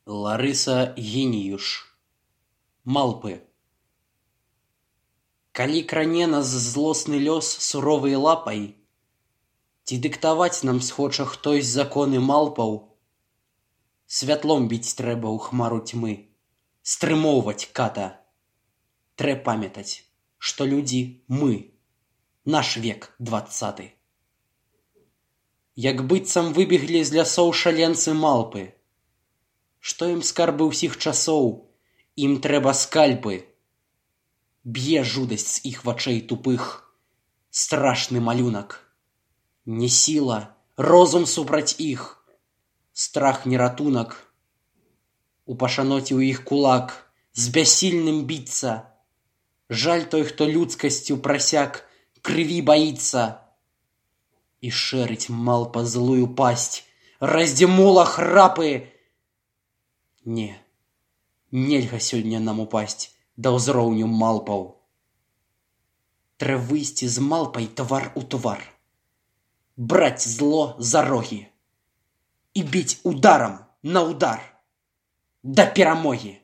Ларыса Геніюш. Малпы. Калі кране нас злосны лёс суровай лапай, ці дыктаваць нам схоча хтось законы малпаў, святлом біць трэба ў хмару тьмы, стрымоўваць ката. Трэ памятаць, што людзі мы, наш век 20. Як быццам выбеглі з лясоў шаленцы малпы. Што ім скарбы ўсіх часоў, ім трэба скальпы. Б'е жудасць з іх вачэй тупых, страшны малюнак. Не сіла, розум супраць іх, страх не ратунак. У пашаноце ў іх кулак, з бяссільным біцца. Жаль той, хто людскасцю прасяк, крыві баіцца. І шэрыць малпа злую пасць, раздзімула храпы. Не, нельга сёння нам упасць да ўзроўню малпаў. Трэ выйсці з малпай твар у твар, браць зло за рогі і біць ударам на удар да перамогі.